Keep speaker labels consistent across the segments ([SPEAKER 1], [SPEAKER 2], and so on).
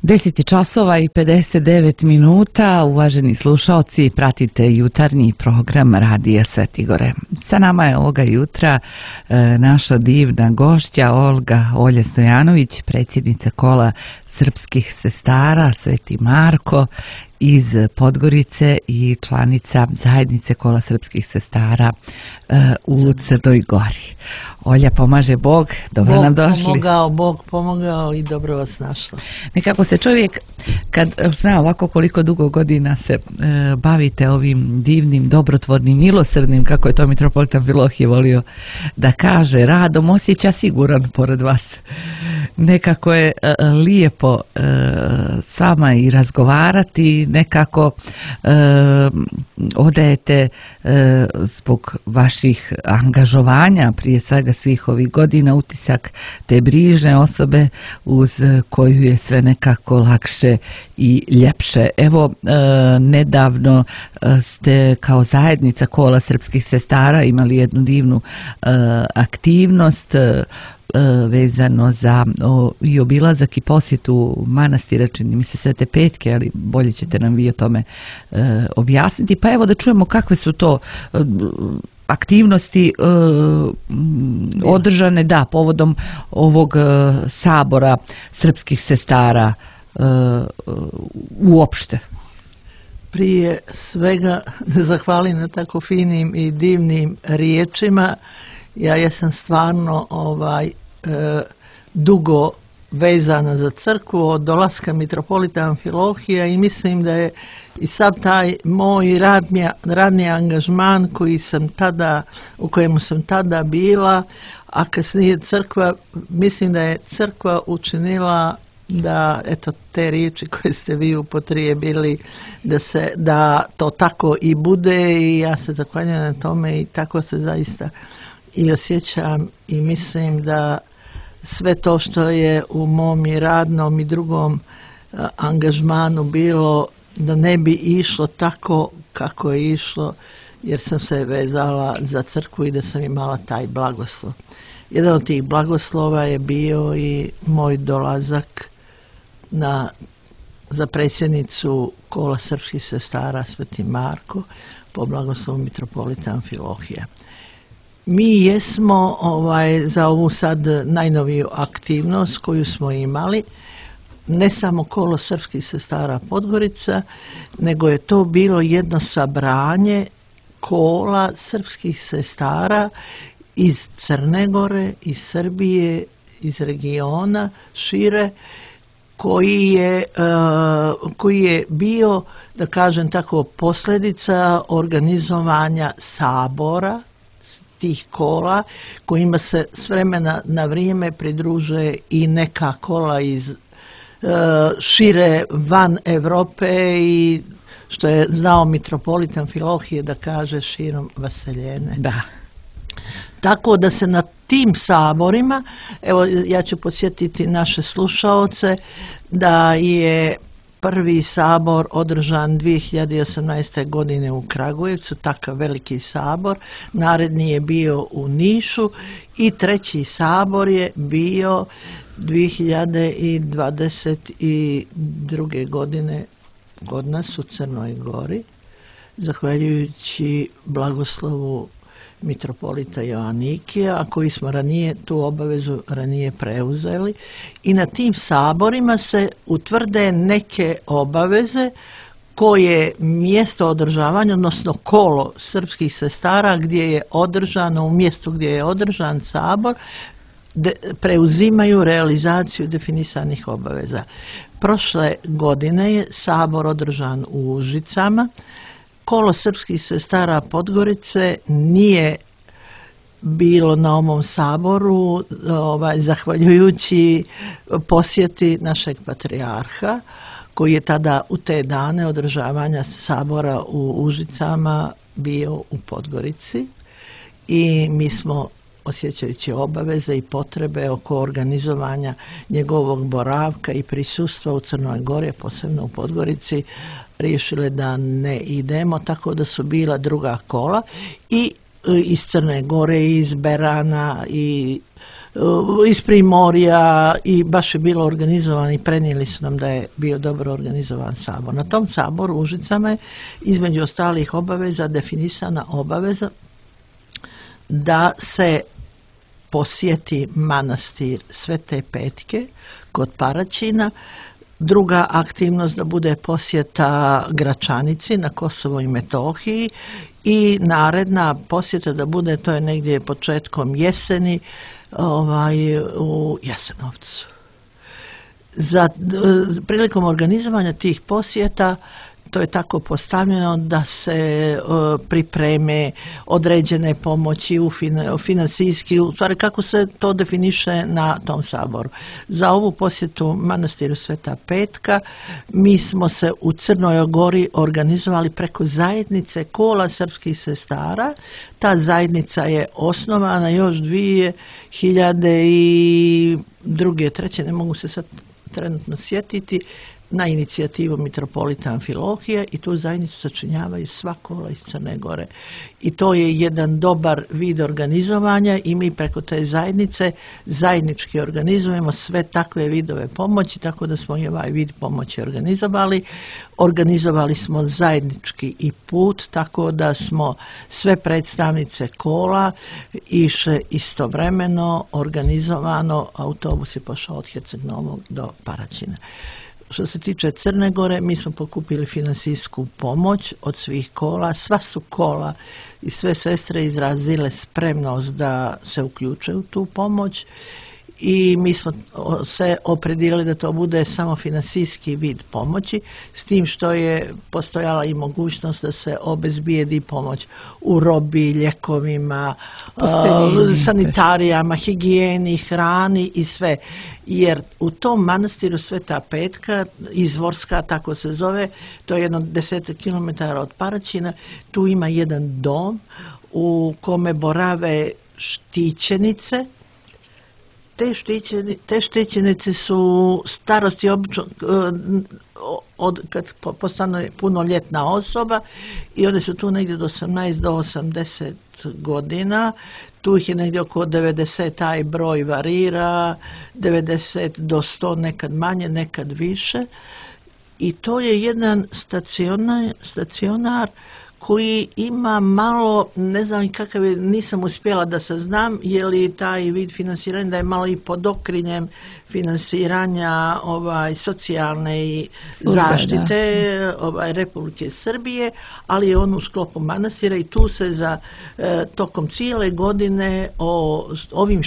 [SPEAKER 1] 10 časova i 59 minuta, uvaženi slušaoci, pratite jutarnji program Radija Svetigore. Sa nama je ovoga jutra naša divna gošća Olja Stojanović, predsjednica Kola srpskih sestara Sveti Marko iz Podgorice i članica zajednice Kola srpskih sestara u Crnoj Gori. Olja, pomaže Bog, dobro nam došli.
[SPEAKER 2] Bog pomogao i dobro vas našla.
[SPEAKER 1] Nekako se čovjek, kad zna ovako koliko dugo godina se bavite ovim divnim, dobrotvornim, milosrdnim, kako je to mitropolitan Filohije volio da kaže, radom, osjeća siguran pored vas. Nekako je lijepo s vama i razgovarati, nekako odajete zbog vaših angažovanja, prije svega svih ovih godina, utisak te brižne osobe uz koju je sve nekako lakše i ljepše. Evo, nedavno ste kao zajednica Kola srpskih sestara imali jednu divnu aktivnost vezano za i obilazak i posjetu manastira, čini mi se Svete Petke, ali bolje ćete nam vi o tome objasniti. Pa evo da čujemo kakve su to aktivnosti održane povodom ovog sabora srpskih sestara uopšte.
[SPEAKER 2] Prije svega zahvalim na tako finim i divnim riječima. Ja jesam stvarno dugo vezana za crkvu od dolaska mitropolita Amfilohija i mislim da je i sav taj moj radni angažman u kojemu sam tada bila, a kasnije crkva, mislim da je crkva učinila da, eto, te riječi koje ste vi upotrijebili, da to tako i bude i ja se zahvaljujem na tome i tako se zaista i osjećam i mislim da sve to što je u mom i radnom i drugom angažmanu bilo, da ne bi išlo tako kako je išlo, jer sam se vezala za crkvu i da sam imala taj blagoslov. Jedan od tih blagoslova je bio i moj dolazak za predsjednicu Kola srpskih sestara Sveti Marko po blagoslovu mitropolita Amfilohija. Mi jesmo za ovu sad najnoviju aktivnost koju smo imali, ne samo Kolo srpskih sestara Podgorica, nego je to bilo jedno sabranje kola srpskih sestara iz Crne Gore, iz Srbije, iz regiona šire, koji je bio, da kažem tako, posljedica organizovanja sabora tih kola, kojima se s vremena na vrijeme pridružuje i neka kola iz šire van Europe i što je znao mitropolitan Amfilohije da kaže širom vaseljene.
[SPEAKER 1] Da.
[SPEAKER 2] Tako da se na tim saborima, evo ja ću podsjetiti naše slušaoce da je prvi sabor održan 2018. godine u Kragujevcu, takav veliki sabor. Naredni je bio u Nišu i treći sabor je bio 2022. godine kod nas u Crnoj Gori, zahvaljujući blagoslovu mitropolita Joanikija, a koji smo tu obavezu ranije preuzeli. I na tim saborima se utvrde neke obaveze koje mjesto održavanja, odnosno kolo srpskih sestara gdje je održano, u mjestu gdje je održan sabor, preuzimaju realizaciju definisanih obaveza. Prošle godine je sabor održan u Užicama. Kolo srpskih sestara Podgorice nije bilo na ovom saboru, zahvaljujući posjeti našeg patrijarha, koji je tada u te dane održavanja sabora u Užicama bio u Podgorici i mi smo, osjećajući obaveze i potrebe oko organizovanja njegovog boravka i prisustva u Crnoj Gori, posebno u Podgorici, riješile da ne idemo, tako da su bila druga kola i iz Crne Gore, iz Berana i iz Primorja i baš je bilo organizovan i prenijeli su nam da je bio dobro organizovan sabor. Na tom saboru u Užicama je između ostalih obaveza definisana obaveza da se posjeti manastir Svete Petke kod Paraćina. Druga aktivnost da bude posjeta Gračanici na Kosovo i Metohiji i naredna posjeta da bude, to je negdje početkom jeseni, u Jasenovcu. Prilikom organizovanja tih posjeta to je tako postavljeno da se pripreme određene pomoći financijski, u stvari kako se to definiše na tom saboru. Za ovu posjetu manastiru Sveta Petka mi smo se u Crnoj Gori organizovali preko zajednice kola srpskih sestara. Ta zajednica je osnovana još 2002. 2003. Ne mogu se sad trenutno sjetiti, na inicijativu mitropolita Amfilohije i tu zajednicu sačinjavaju sva kola iz Crne Gore. I to je jedan dobar vid organizovanja i mi preko te zajednice zajednički organizujemo sve takve vidove pomoći, tako da smo i ovaj vid pomoći organizovali. Organizovali smo zajednički i put, tako da smo sve predstavnice kola išle istovremeno, organizovano, autobus je pošao od Herceg Novog do Paraćina. Što se tiče Crne Gore, mi smo pokupili financijsku pomoć od svih kola. Sva su kola i sve sestre izrazile spremnost da se uključe u tu pomoć i mi smo se opredijelili da to bude samo financijski vid pomoći, s tim što je postojala i mogućnost da se obezbijedi pomoć u robi, ljekovima, sanitarijama, higijeni, hrani i sve. Jer u tom manastiru Sveta Petka, Izvorska tako se zove, to je jedno 10 km od Paraćina, tu ima jedan dom u kome borave štićenice. Te štićenice su starosti obično kad postane punoljetna osoba i one su tu negdje od 18 do 80 godina. Tu ih je negdje oko 90, taj broj varira, 90 do 100, nekad manje, nekad više. I to je jedan stacionar koji ima malo, ne znam kakav je, nisam uspjela da saznam, je li taj vid financiranja da je malo i pod okriljem financiranja socijalne i zaštite Republike Srbije, ali je on u sklopu manastira i tu se za tokom cijele godine o ovim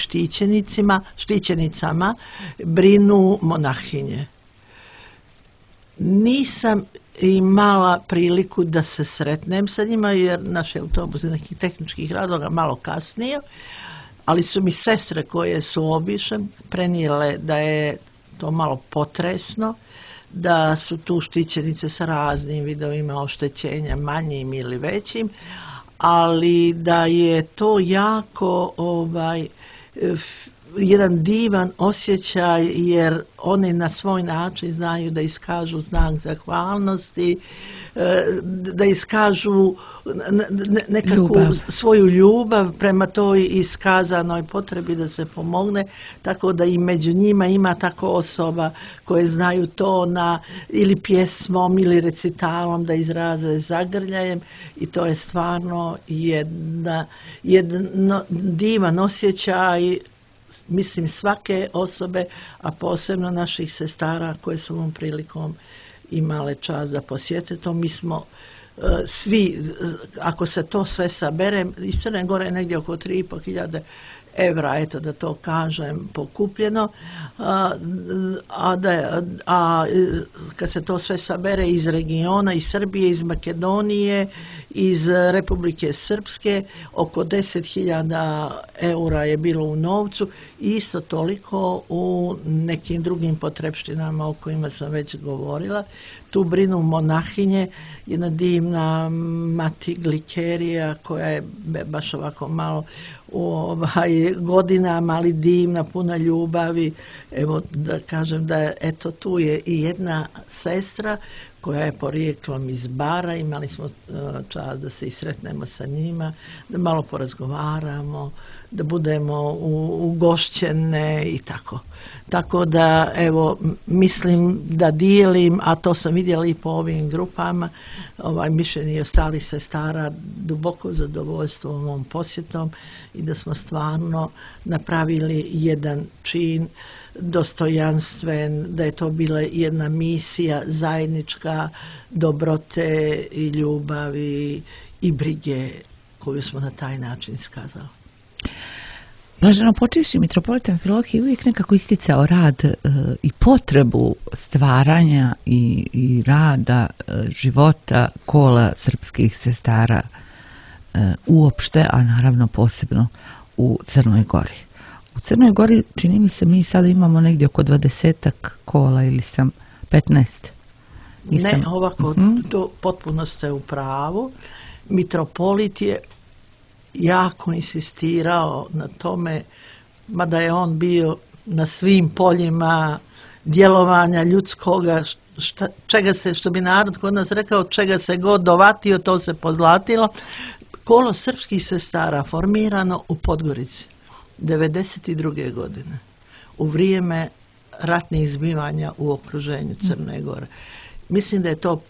[SPEAKER 2] štićenicama brinu monahinje. Nisam imala priliku da se sretnem sa njima jer naš autobus iz nekih tehničkih razloga malo kasnije, ali su mi sestre koje su obišle prenijele da je to malo potresno, da su tu štićenice sa raznim vidovima oštećenja, manjim ili većim, ali da je to jako jedan divan osjećaj jer oni na svoj način znaju da iskažu znak zahvalnosti, da iskažu nekakvu svoju ljubav prema toj iskazanoj potrebi da se pomogne, tako da i među njima ima tako osoba koje znaju to ili pjesmom ili recitalom da izraze zagrljajem i to je stvarno jedan divan osjećaj, mislim svake osobe, a posebno naših sestara koje su ovom prilikom imale čast da posjete to. Mi smo svi, ako se to sve sabere, iz Crne Gore je negdje oko 3.500 evra, eto da to kažem, pokupljeno, a kad se to sve sabere iz regiona, iz Srbije, iz Makedonije, iz Republike Srpske, oko 10.000 eura je bilo u novcu i isto toliko u nekim drugim potrepštinama o kojima sam već govorila. Tu brinu monahinje, jedna divna mati Glikerija koja je baš ovako malo u godinama, ali divna, puna ljubavi. Evo da kažem da eto tu je i jedna sestra koja je porijeklom iz Bara. Imali smo čast da se i sretnemo sa njima, da malo porazgovaramo, da budemo ugošćene i tako. Tako da, evo, mislim da dijelim, a to sam vidjela i po ovim grupama, mišljenje i ostalih sestara, duboko zadovoljstvo ovom posjetom i da smo stvarno napravili jedan čin dostojanstven, da je to bila jedna misija zajednička dobrote i ljubavi i brige koju smo na taj način iskazali.
[SPEAKER 1] Blaženo počivši mitropolita Amfilohije uvijek nekako isticao rad i potrebu stvaranja i rada života kola srpskih sestara uopšte, a naravno posebno u Crnoj Gori. U Crnoj Gori, čini mi se, mi sada imamo negdje oko 20-ak kola ili sam 15.
[SPEAKER 2] Ne, ovako, to potpuno ste u pravu. Mitropolit je jako insistirao na tome, mada je on bio na svim poljima djelovanja ljudskoga, čega se, što bi narod kod nas rekao, čega se god dovatio, to se pozlatilo. Kolo srpskih sestara formirano u Podgorici 1992. godine, u vrijeme ratnih zbivanja u okruženju Crne Gore. Mislim da je to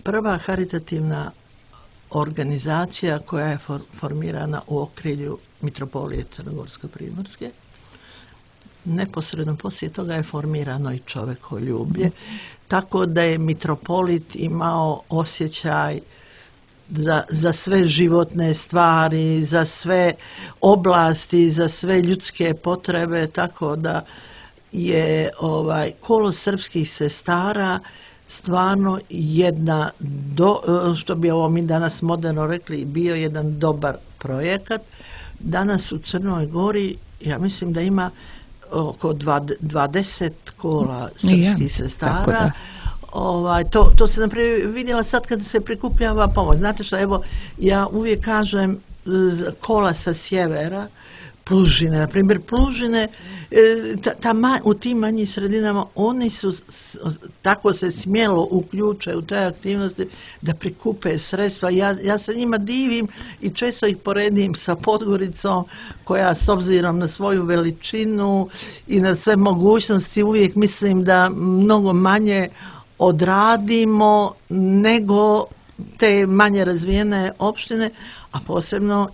[SPEAKER 2] prva haritativna organizacija koja je formirana u okrilju Mitropolije Crnogorsko-Primorske. Neposredno poslije toga je formirano i čovekoljublje, tako da je mitropolit imao osjećaj za sve životne stvari, za sve oblasti, za sve ljudske potrebe, tako da je kolo srpskih sestara stvarno jedna, što bi ovo mi danas moderno rekli, bio jedan dobar projekat. Danas u Crnoj Gori, ja mislim da ima oko 20 kola srpskih sestara. To se naprijed vidjela sad kad se prikupljava pomoć. Znate što, evo, ja uvijek kažem kola sa sjevera, Plužine, na primjer Plužine, u tim manjim sredinama oni su tako se smjelo uključe u te aktivnosti da prikupe sredstva. Ja se njima divim i često ih poredim sa Podgoricom koja s obzirom na svoju veličinu i na sve mogućnosti uvijek mislim da mnogo manje odradimo nego te manje razvijene opštine, a posebno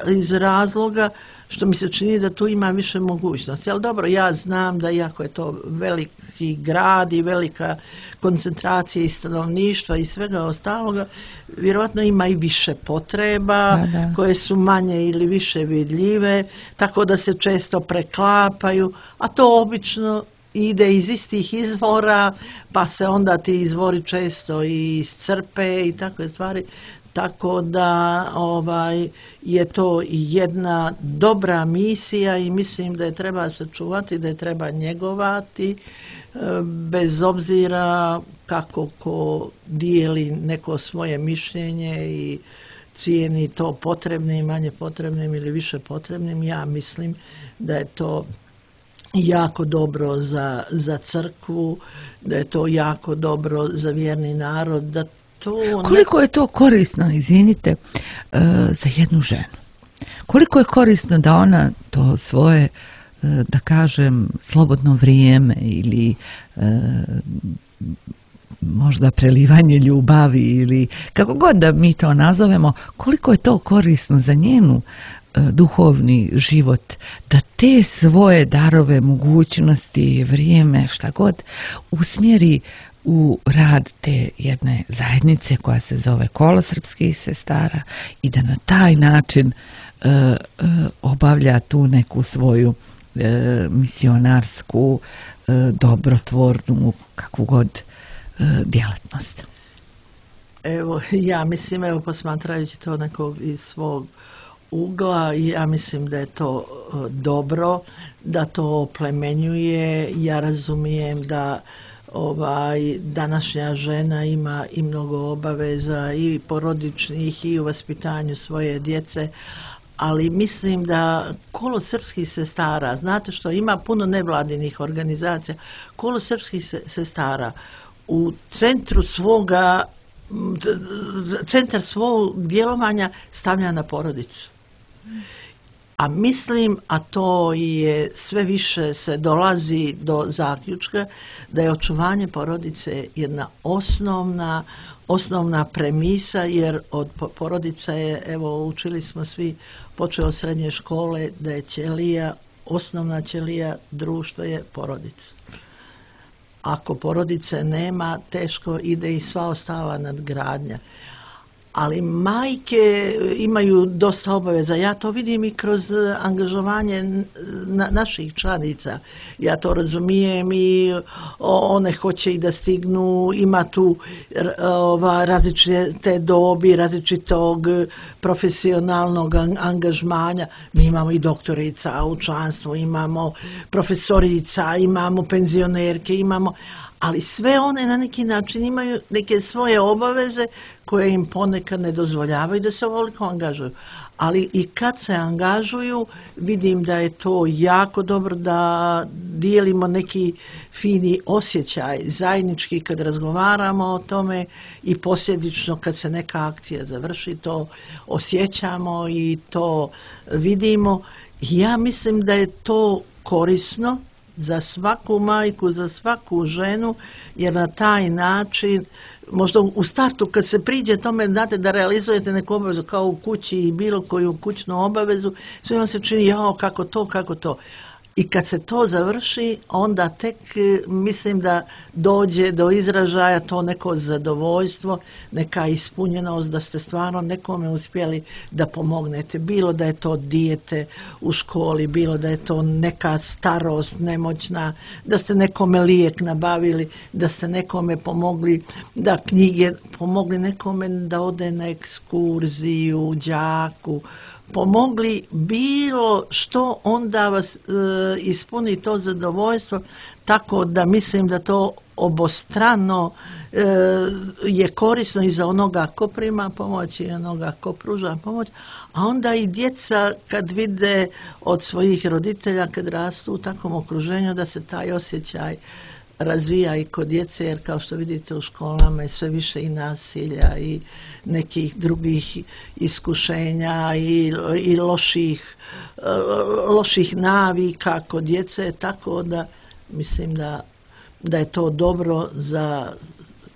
[SPEAKER 2] iz razloga što mi se čini da tu ima više mogućnosti. Ali dobro, ja znam da iako je to veliki grad i velika koncentracija i stanovništva i svega ostaloga, vjerojatno ima i više potreba koje su manje ili više vidljive, tako da se često preklapaju, a to obično ide iz istih izvora, pa se onda ti izvori često i iscrpe i takve stvari. Tako da je to jedna dobra misija i mislim da je treba sačuvati, da je treba njegovati, bez obzira kako ko dijeli neko svoje mišljenje i cijeni to potrebnim, manje potrebnim ili više potrebnim. Ja mislim da je to jako dobro za crkvu, da je to jako dobro za vjerni narod, da
[SPEAKER 1] koliko je to korisno, izvinite, za jednu ženu? Koliko je korisno da ona to svoje, da kažem, slobodno vrijeme ili možda prelivanje ljubavi ili kako god da mi to nazovemo, koliko je to korisno za njenu duhovni život, da te svoje darove, mogućnosti, vrijeme, šta god, usmjeri u rad te jedne zajednice koja se zove Kolo srpskih sestara i da na taj način obavlja tu neku svoju misionarsku, dobrotvornu, kakvu god djelatnost.
[SPEAKER 2] Evo, ja mislim, posmatrajući to nekog iz svog ugla, ja mislim da je to dobro, da to oplemenjuje. Ja razumijem da današnja žena ima i mnogo obaveza i porodičnih i u vaspitanju svoje djece, ali mislim da Kolo srpskih sestara, znate što, ima puno nevladinih organizacija, Kolo srpskih sestara u centar svog djelovanja stavlja na porodicu. A mislim, a to je sve više se dolazi do zaključka, da je očuvanje porodice jedna osnovna premisa, jer od porodica je, evo učili smo svi, počeo od srednje škole, da je ćelija, osnovna ćelija društva je porodica. Ako porodice nema, teško ide i sva ostala nadgradnja. Ali majke imaju dosta obaveza. Ja to vidim i kroz angažovanje naših članica. Ja to razumijem i one hoće i da stignu, ima tu različite dobi, različitog profesionalnog angažmanja. Mi imamo i doktorica u članstvu, imamo profesorica, imamo penzionerke, ali sve one na neki način imaju neke svoje obaveze koje im ponekad ne dozvoljavaju da se ovoliko angažuju. Ali i kad se angažuju, vidim da je to jako dobro, da dijelimo neki fini osjećaj zajednički kad razgovaramo o tome i posljedično kad se neka akcija završi, to osjećamo i to vidimo. Ja mislim da je to korisno za svaku majku, za svaku ženu, jer na taj način, možda u startu kad se priđe tome, znate, da realizujete neku obavezu kao u kući i bilo koju kućnu obavezu, sve vam se čini, jao, kako to. I kad se to završi, onda tek mislim da dođe do izražaja to neko zadovoljstvo, neka ispunjenost, da ste stvarno nekome uspjeli da pomognete. Bilo da je to dijete u školi, bilo da je to neka starost nemoćna, da ste nekome lijek nabavili, da ste nekome pomogli da knjige, pomogli nekome da ode na ekskurziju, đaku, pomogli bilo što, onda vas ispuni to zadovoljstvo, tako da mislim da to obostrano je korisno i za onoga ko prima pomoć i onoga ko pruža pomoć, a onda i djeca kad vide od svojih roditelja kad rastu u takvom okruženju da se taj osjećaj razvija i kod djece, jer kao što vidite u školama je sve više i nasilja i nekih drugih iskušenja i loših navika kod djece, tako da mislim da je to dobro za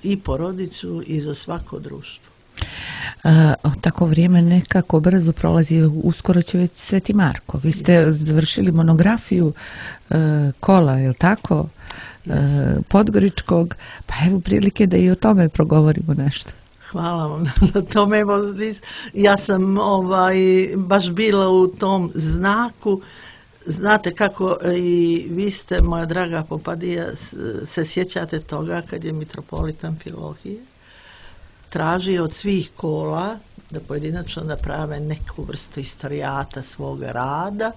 [SPEAKER 2] i porodicu i za svako društvo.
[SPEAKER 1] Tako vrijeme nekako brzo prolazi, uskoro će već Sveti Marko. Vi ste završili monografiju Kola, je li tako? Podgoričkog, pa evo prilike da i o tome progovorimo nešto.
[SPEAKER 2] Hvala vam na tome. Ja sam baš bila u tom znaku. Znate kako i vi ste, moja draga Popadija, se sjećate toga kad je mitropolit Amfilohije tražio od svih kola da pojedinačno naprave neku vrstu historijata svoga rada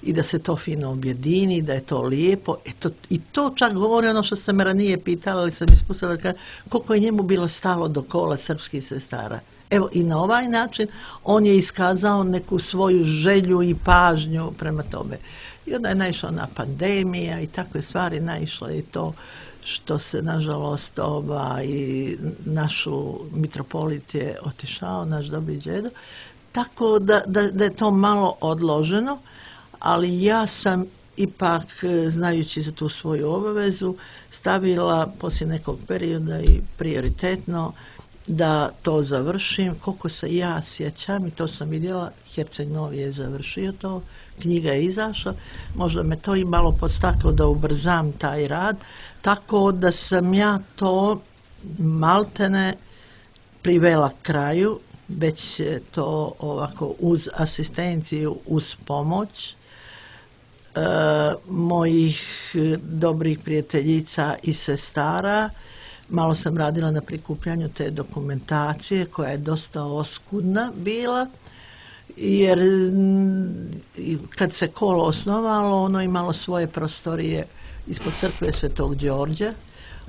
[SPEAKER 2] i da se to fino objedini, da je to lijepo. I to čak govori ono što ste me ranije pitali, ali sam ispustila koliko je njemu bilo stalo do kola srpskih sestara. Evo, i na ovaj način on je iskazao neku svoju želju i pažnju prema tome. I onda je naišla na pandemija i takve stvari, naišlo je to što se, nažalost, i našu mitropolit je otišao, naš dobri đedo, tako da je to malo odloženo, ali ja sam ipak, znajući za tu svoju obavezu, stavila poslije nekog perioda i prioritetno da to završim. Koliko se ja sjećam, i to sam vidjela, Herceg Novi je završio to, knjiga je izašla, možda me to i malo podstaklo da ubrzam taj rad, tako da sam ja to maltene privela kraju, već je to ovako uz asistenciju, uz pomoć mojih dobrih prijateljica i sestara. Malo sam radila na prikupljanju te dokumentacije koja je dosta oskudna bila, jer kad se kolo osnovalo, ono imalo svoje prostorije ispod crkve Svetog Đorđa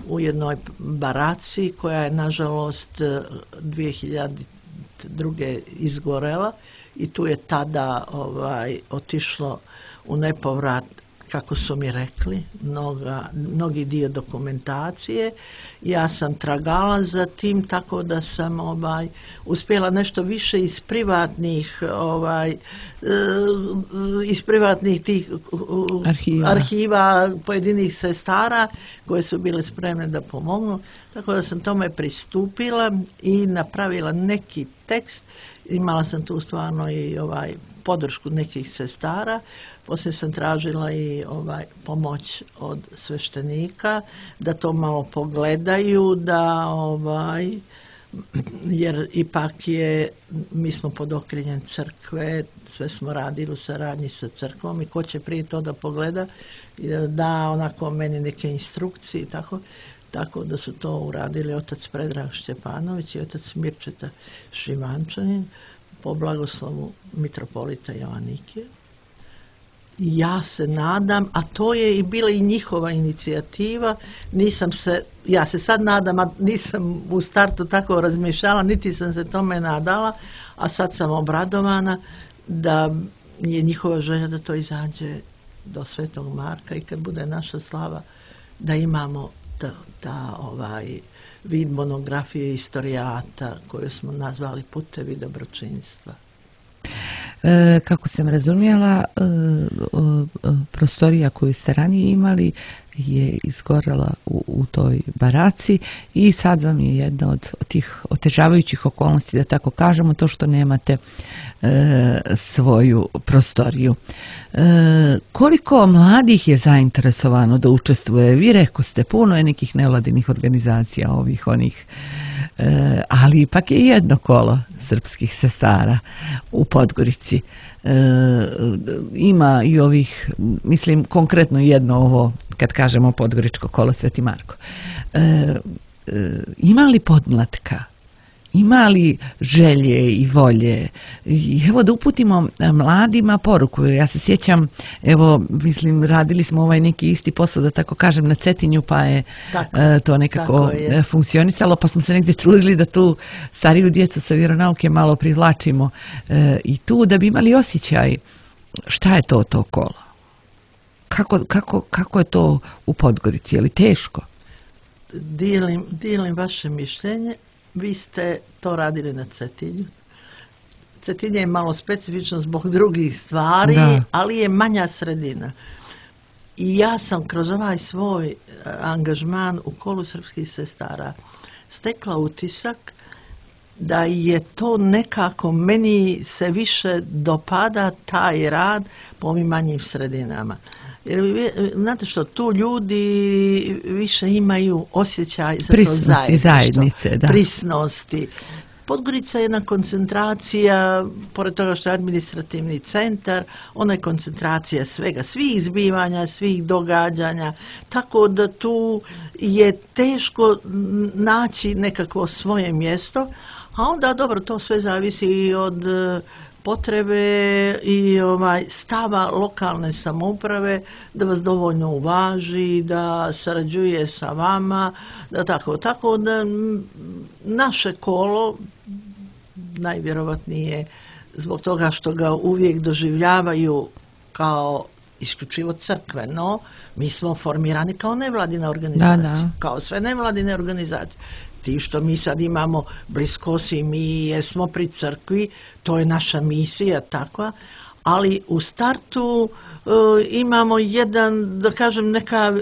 [SPEAKER 2] u jednoj baraci koja je nažalost 2002. izgorela i tu je tada otišlo u nepovrat kako su mi rekli, mnogi dio dokumentacije. Ja sam tragala za tim, tako da sam uspjela nešto više iz privatnih tih arhiva pojedinih sestara koje su bile spremne da pomognu. Tako da sam tome pristupila i napravila neki tekst. Imala sam tu stvarno i podršku nekih sestara. Poslije sam tražila i pomoć od sveštenika da to malo pogledaju, jer ipak mi smo pod okriljem crkve, sve smo radili u saradnji sa crkvom i ko će prije to da pogleda i da da onako meni neke instrukcije i tako da su to uradili otac Predrag Šćepanović i otac Mirčeta Šivančanin po blagoslovu mitropolita Joanikija. Ja se nadam, a to je i bila i njihova inicijativa, ja se sad nadam, a nisam u startu tako razmišljala, niti sam se tome nadala, a sad sam obradovana da je njihova želja da to izađe do Svetog Marka i kad bude naša slava da imamo vid monografije istorijata koju smo nazvali Putevi dobročinstva.
[SPEAKER 1] Kako sam razumjela, prostorija koju ste ranije imali je izgorela u toj baraci i sad vam je jedna od tih otežavajućih okolnosti, da tako kažemo, to što nemate svoju prostoriju. Koliko mladih je zainteresovano da učestvuje? Vi rekoste, puno je nekih nevladinih organizacija, onih, ali ipak je jedno kolo srpskih sestara u Podgorici. Ima i ovih, mislim konkretno jedno ovo, kad kažemo Podgoričko kolo Sveti Marko. Ima li podmlatka? Ima li želje i volje? I evo da uputimo mladima poruku. Ja se sjećam, radili smo neki isti posao, da tako kažem, na Cetinju, pa je to nekako funkcionisalo, pa smo se negdje trudili da tu stariju djecu sa vjeronauke malo privlačimo i tu da bi imali osjećaj šta je to kolo. Kako je to u Podgorici? Je li teško?
[SPEAKER 2] Dijelim vaše mišljenje. Vi ste to radili na Cetinju. Cetinje je malo specifično zbog drugih stvari, ali je manja sredina. I ja sam kroz ovaj svoj angažman u kolu srpskih sestara stekla utisak da je to nekako, meni se više dopada taj rad po ovim manjim sredinama. Jer, znate što, tu ljudi više imaju osjećaj za
[SPEAKER 1] prisnosti, zajednice,
[SPEAKER 2] prisnosti. Podgorica je jedna koncentracija, pored toga što je administrativni centar, ona je koncentracija svega, svih zbivanja, svih događanja, tako da tu je teško naći nekakvo svoje mjesto, a onda dobro, to sve zavisi i od potrebe i stava lokalne samouprave da vas dovoljno uvaži, da sarađuje sa vama, da tako da naše kolo najvjerovatnije zbog toga što ga uvijek doživljavaju kao isključivo crkveno, mi smo formirani kao nevladina organizacija, kao sve nevladine organizacije. Ti što mi sad imamo bliskosti, mi jesmo pri crkvi, to je naša misija takva, ali u startu imamo jedan, da kažem,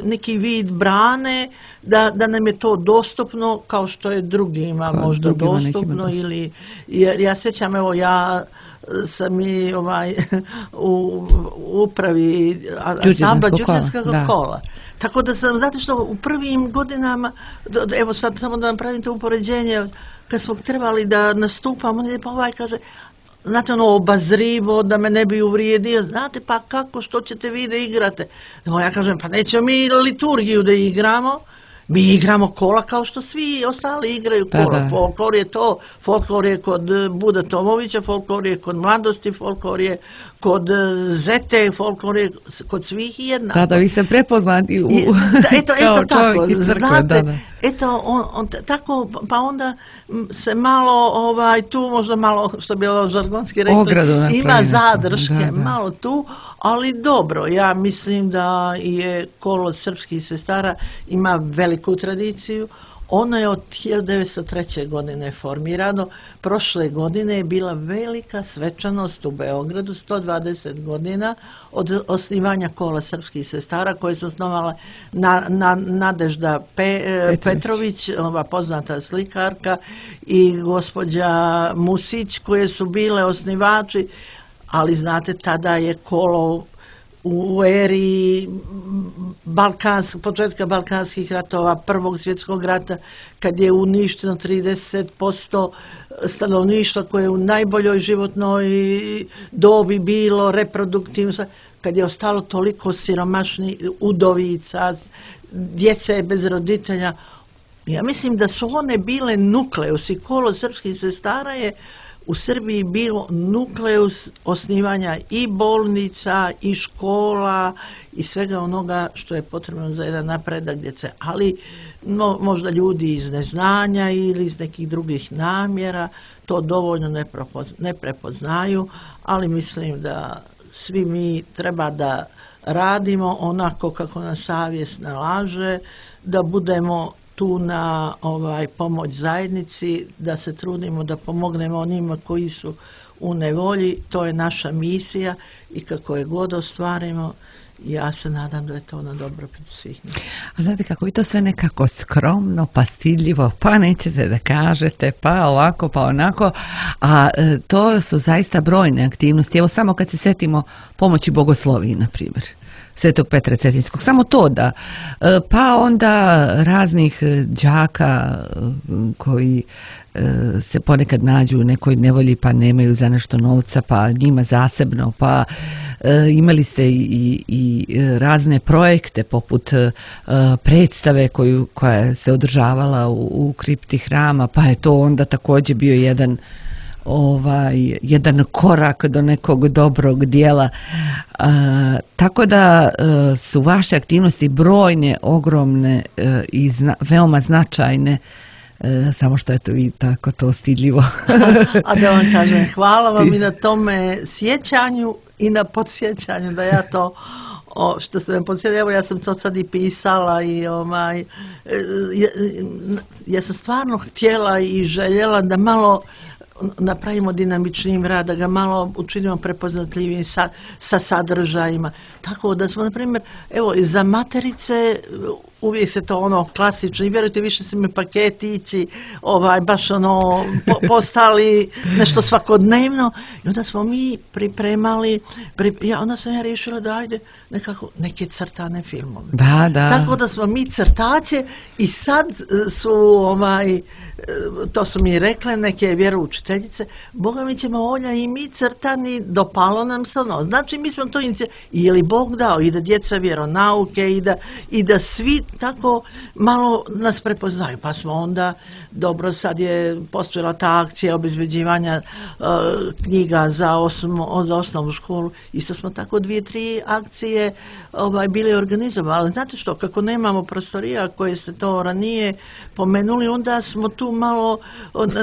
[SPEAKER 2] neki vid brane da nam je to dostupno kao što je drugima možda dostupno. Jer ja sjećam, ja sam i u upravi ansambla Đurđevskog kola. Tako da sam, znate što, u prvim godinama, evo sad samo da napravim to upoređenje, kad smo trebali da nastupamo, pa kaže, znate, obazrivo, da me ne bi uvrijedio, znate, pa kako, što ćete vi da igrate? Ja kažem, pa nećemo mi liturgiju da igramo, Mi igramo kola kao što svi ostali igraju kola.
[SPEAKER 1] Da.
[SPEAKER 2] Folklor je to, folklor je kod Bude Tomovića, folklor je kod Mladosti, folklor je kod Zete, folklor je kod svih jednako.
[SPEAKER 1] Da, vi ste prepoznati
[SPEAKER 2] Eto tako, znate, eto, tako, pa onda se malo, tu možda malo, što bi ovo žargonski rekli, ima zadrške, malo tu, ali dobro, ja mislim da je kolo srpskih sestara ima veliku tradiciju. Ono je od 1903. godine formirano. Prošle godine je bila velika svečanost u Beogradu, 120 godina od osnivanja kola srpskih sestara, koje su osnovala Nadežda Petrović, ova poznata slikarka, i gospođa Musić, koje su bile osnivači, ali znate, tada je kolo u eri početka Balkanskih ratova, Prvog svjetskog rata, kad je uništeno 30% stanovništva koje je u najboljoj životnoj dobi bilo, reproduktivno, kad je ostalo toliko siromašnih udovica, djece bez roditelja. Ja mislim da su one bile nukleus, i kolo srpskih sestara je u Srbiji bilo nukleus osnivanja i bolnica, i škola, i svega onoga što je potrebno za jedan napredak djece. Ali možda ljudi iz neznanja ili iz nekih drugih namjera to dovoljno ne prepoznaju, ali mislim da svi mi treba da radimo onako kako nas savjest nalaže, da budemo tu na pomoć zajednici, da se trudimo da pomognemo onima koji su u nevolji. To je naša misija i kako je god ostvarimo, ja se nadam da je to na dobrobit svih.
[SPEAKER 1] A znate kako vi to sve nekako skromno, pa stidljivo, pa nećete da kažete, pa ovako, pa onako, a to su zaista brojne aktivnosti. Evo samo kad se setimo pomoći Bogosloviji, na primjer, Svetog Petra Cetinskog, samo to da, pa onda raznih đaka koji se ponekad nađu u nekoj nevolji pa nemaju za nešto novca, pa njima zasebno, pa imali ste i razne projekte poput predstave koja se održavala u kripti hrama, pa je to onda također bio jedan korak do nekog dobrog dijela. Tako da su vaše aktivnosti brojne, ogromne i veoma značajne, samo što eto vi tako to stidljivo.
[SPEAKER 2] A da vam kažem, hvala vam i na tome sjećanju i na podsjećanju da ja to što ste me podsjetili, evo ja sam to sad i pisala i ja sam stvarno htjela i željela da malo napravimo dinamičnim rad, da ga malo učinimo prepoznatljivim sa sadržajima. Tako da smo, na primjer, evo, za materice uvijek se to klasično, i vjerujte, više su mi paketići, baš postali nešto svakodnevno, i onda smo mi pripremali, onda sam ja riješila da ajde nekako neke crtane filmove.
[SPEAKER 1] Da.
[SPEAKER 2] Tako da smo mi crtače, i sad su to su mi rekle neke vjeroučiteljice, Boga mi ćemo Olja i mi crtani, dopalo nam se Znači mi smo to je li Bog dao, i da djeca vjeronauke, i da svi tako malo nas prepoznaju. Pa smo onda, dobro, sad je postojala ta akcija obezbeđivanja knjiga za osnovnu školu. Isto smo tako 2-3 akcije bili organizovali. Znate što, kako nemamo prostorija koje ste to ranije pomenuli, onda smo tu malo,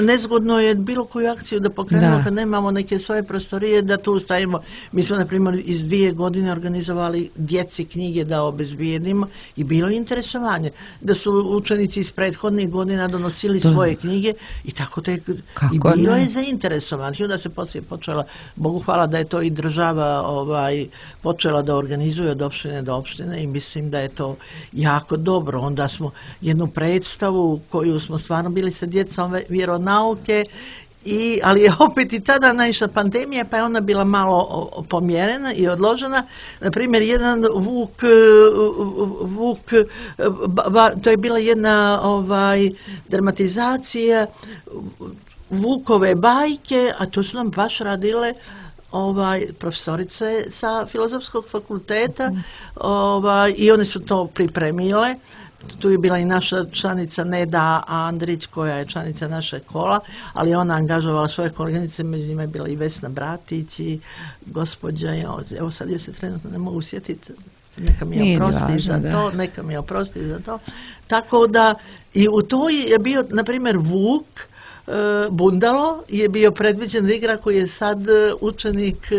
[SPEAKER 2] nezgodno je bilo koju akciju da pokrenemo kad nemamo neke svoje prostorije, da tu stavimo. Mi smo, na primjer, iz 2 godine organizovali djeci knjige da obezbijedimo, i bilo je interesovanje da su učenici iz prethodnih godina donosili svoje knjige, i tako i bilo je zainteresovano. I onda se poslije počela, Bogu hvala da je to i država počela da organizuje od opštine do opštine, i mislim da je to jako dobro. Onda smo jednu predstavu koju smo stvarno bili sa djecom vjeronauke, ali je opet i tada naišla pandemija, pa je ona bila malo pomjerena i odložena. Na primjer, jedan Vuk, to je bila jedna dramatizacija Vukove bajke, a to su nam baš radile profesorice sa Filozofskog fakulteta, i one su to pripremile. tu je bila i naša članica Neda Andrić, koja je članica našeg kola, ali ona angažovala svoje koleginice, među njima je bila i Vesna Bratić i gospođa, evo sad je se trenutno ne mogu sjetiti, neka mi je oprosti za to. Tako da i u toj je bio, na primjer, Vuk Bundalo je bio predviđen da igra, koji je sad učenik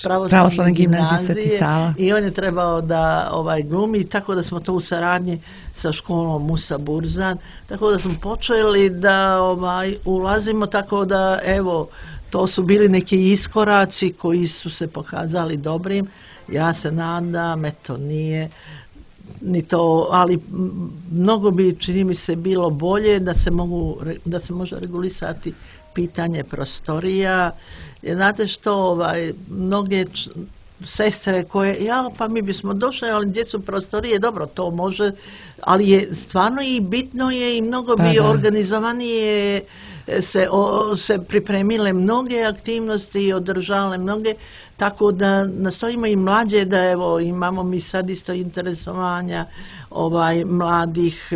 [SPEAKER 2] pravoslavne gimnazije i on je trebao da glumi, tako da smo to u saradnji sa školom Musa Burzan, tako da smo počeli da ulazimo, tako da evo, to su bili neki iskoraci koji su se pokazali dobrim. Ja se nadam, eto, nije ni to, ali mnogo bi, čini mi se, bilo bolje da se može regulisati pitanje prostorija. Jer znate što, mnoge sestre koje, pa mi bismo došli, ali djecu prostorije, dobro, to može, ali je stvarno i bitno je i mnogo bi organizovanije se pripremile mnoge aktivnosti i održale mnoge, tako da nastojimo i mlađe da evo imamo mi sad isto interesovanja mladih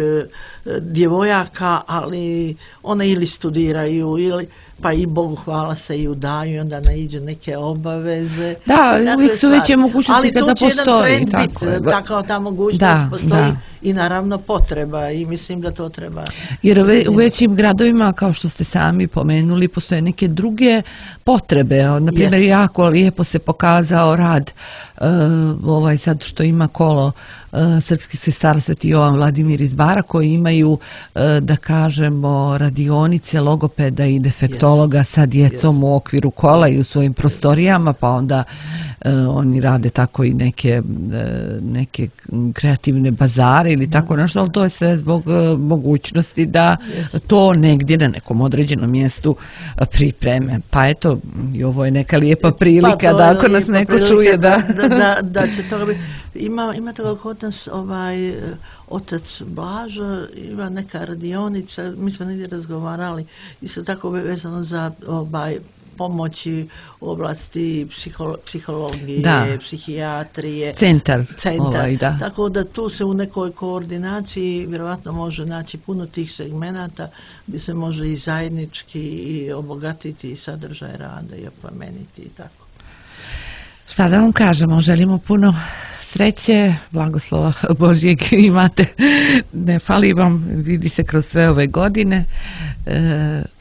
[SPEAKER 2] djevojaka, ali one ili studiraju ili pa i Bogu hvala se i udaju i onda naiđu neke obaveze.
[SPEAKER 1] Da, uvijek su veće mogućnosti kada postoji.
[SPEAKER 2] Ali tu će jedan trend biti, tako ta mogućnost postoji i naravno potreba i mislim da to treba.
[SPEAKER 1] Jer u većim gradovima, kao što ste sami pomenuli, postoje neke druge potrebe. Naprimjer, jako lijepo se pokazao rad sad što ima kolo srpskih sestara Sveti Jovan Vladimir iz Bara, koji imaju, da kažemo, radionice logopeda i defektologa sa djecom u okviru kola i u svojim prostorijama, pa onda oni rade tako i neke kreativne bazare ili tako nešto, ali to je sve zbog mogućnosti da to negdje na nekom određenom mjestu pripreme. Pa eto, i ovo je neka lijepa prilika da ako nas neko čuje
[SPEAKER 2] da će to biti. Ima toga kod nas otac Blažo, ima neka radionica, mi smo negdje razgovarali, isto tako vezano za pomoći u oblasti psihologije, psihijatrije.
[SPEAKER 1] Centar.
[SPEAKER 2] Tako da tu se u nekoj koordinaciji vjerojatno može naći puno tih segmenata gdje se može i zajednički i obogatiti sadržaj rada i oplemeniti i tako.
[SPEAKER 1] Šta da vam kažemo, želimo puno sreće, blagoslova Božjeg imate, ne fali vam, vidi se kroz sve ove godine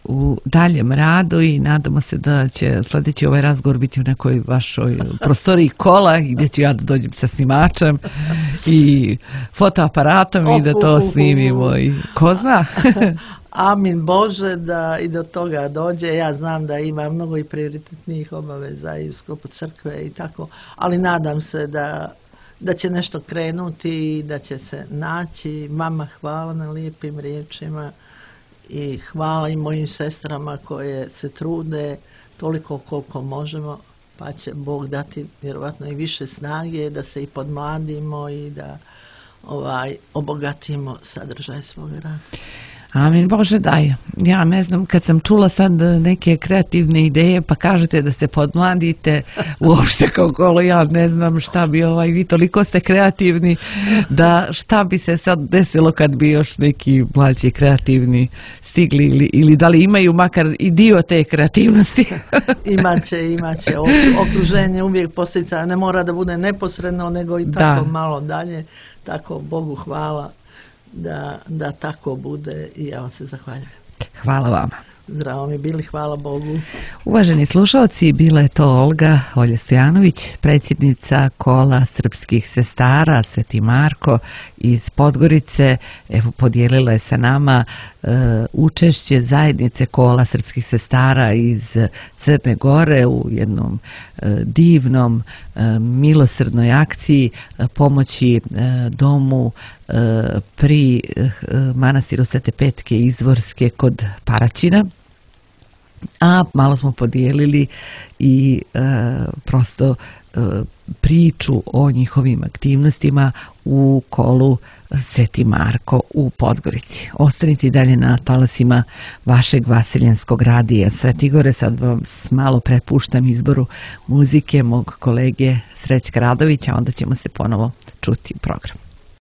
[SPEAKER 1] u daljem radu i nadamo se da će sljedeći ovaj razgovor biti u nekoj vašoj prostoriji kola gdje ću ja da dođem sa snimačem i fotoaparatom i da to snimimo i ko zna.
[SPEAKER 2] Amin Bože da i do toga dođe. Ja znam da ima mnogo i prioritetnijih obaveza i u sklopu crkve i tako, ali nadam se da će nešto krenuti i da će se naći. Mama, hvala na lijepim riječima i hvala i mojim sestrama koje se trude toliko koliko možemo, pa će Bog dati vjerovatno i više snage da se i podmladimo i da obogatimo sadržaj svog rada.
[SPEAKER 1] Amin Bože daj. Ja ne znam, kad sam čula sad neke kreativne ideje pa kažete da se podmladite uopšte kao kolo, ja ne znam šta bi vi toliko ste kreativni da šta bi se sad desilo kad bi još neki mlađi kreativni stigli ili da li imaju makar i dio te kreativnosti.
[SPEAKER 2] Imaće. Okruženje uvijek postica, ne mora da bude neposredno nego i tako malo dalje. Tako Bogu hvala da tako bude i ja vam se zahvaljujem.
[SPEAKER 1] Hvala vama.
[SPEAKER 2] Zdravo mi bili, hvala Bogu.
[SPEAKER 1] Uvaženi slušalci, bila je to Olja Stojanović, predsjednica kola srpskih sestara Sveti Marko iz Podgorice. Evo, podijelila je sa nama učešće zajednice kola srpskih sestara iz Crne Gore u jednom divnom milosrdnoj akciji pomoći domu pri manastiru Svete Petke Izvorske kod Paraćina. A malo smo podijelili i prosto priču o njihovim aktivnostima u kolu Sveti Marko u Podgorici. Ostanite i dalje na talasima vašeg vaseljenskog radija Svetigore. Sad vam malo prepuštam izboru muzike mog kolege Srećka Radovića, onda ćemo se ponovo čuti u programu.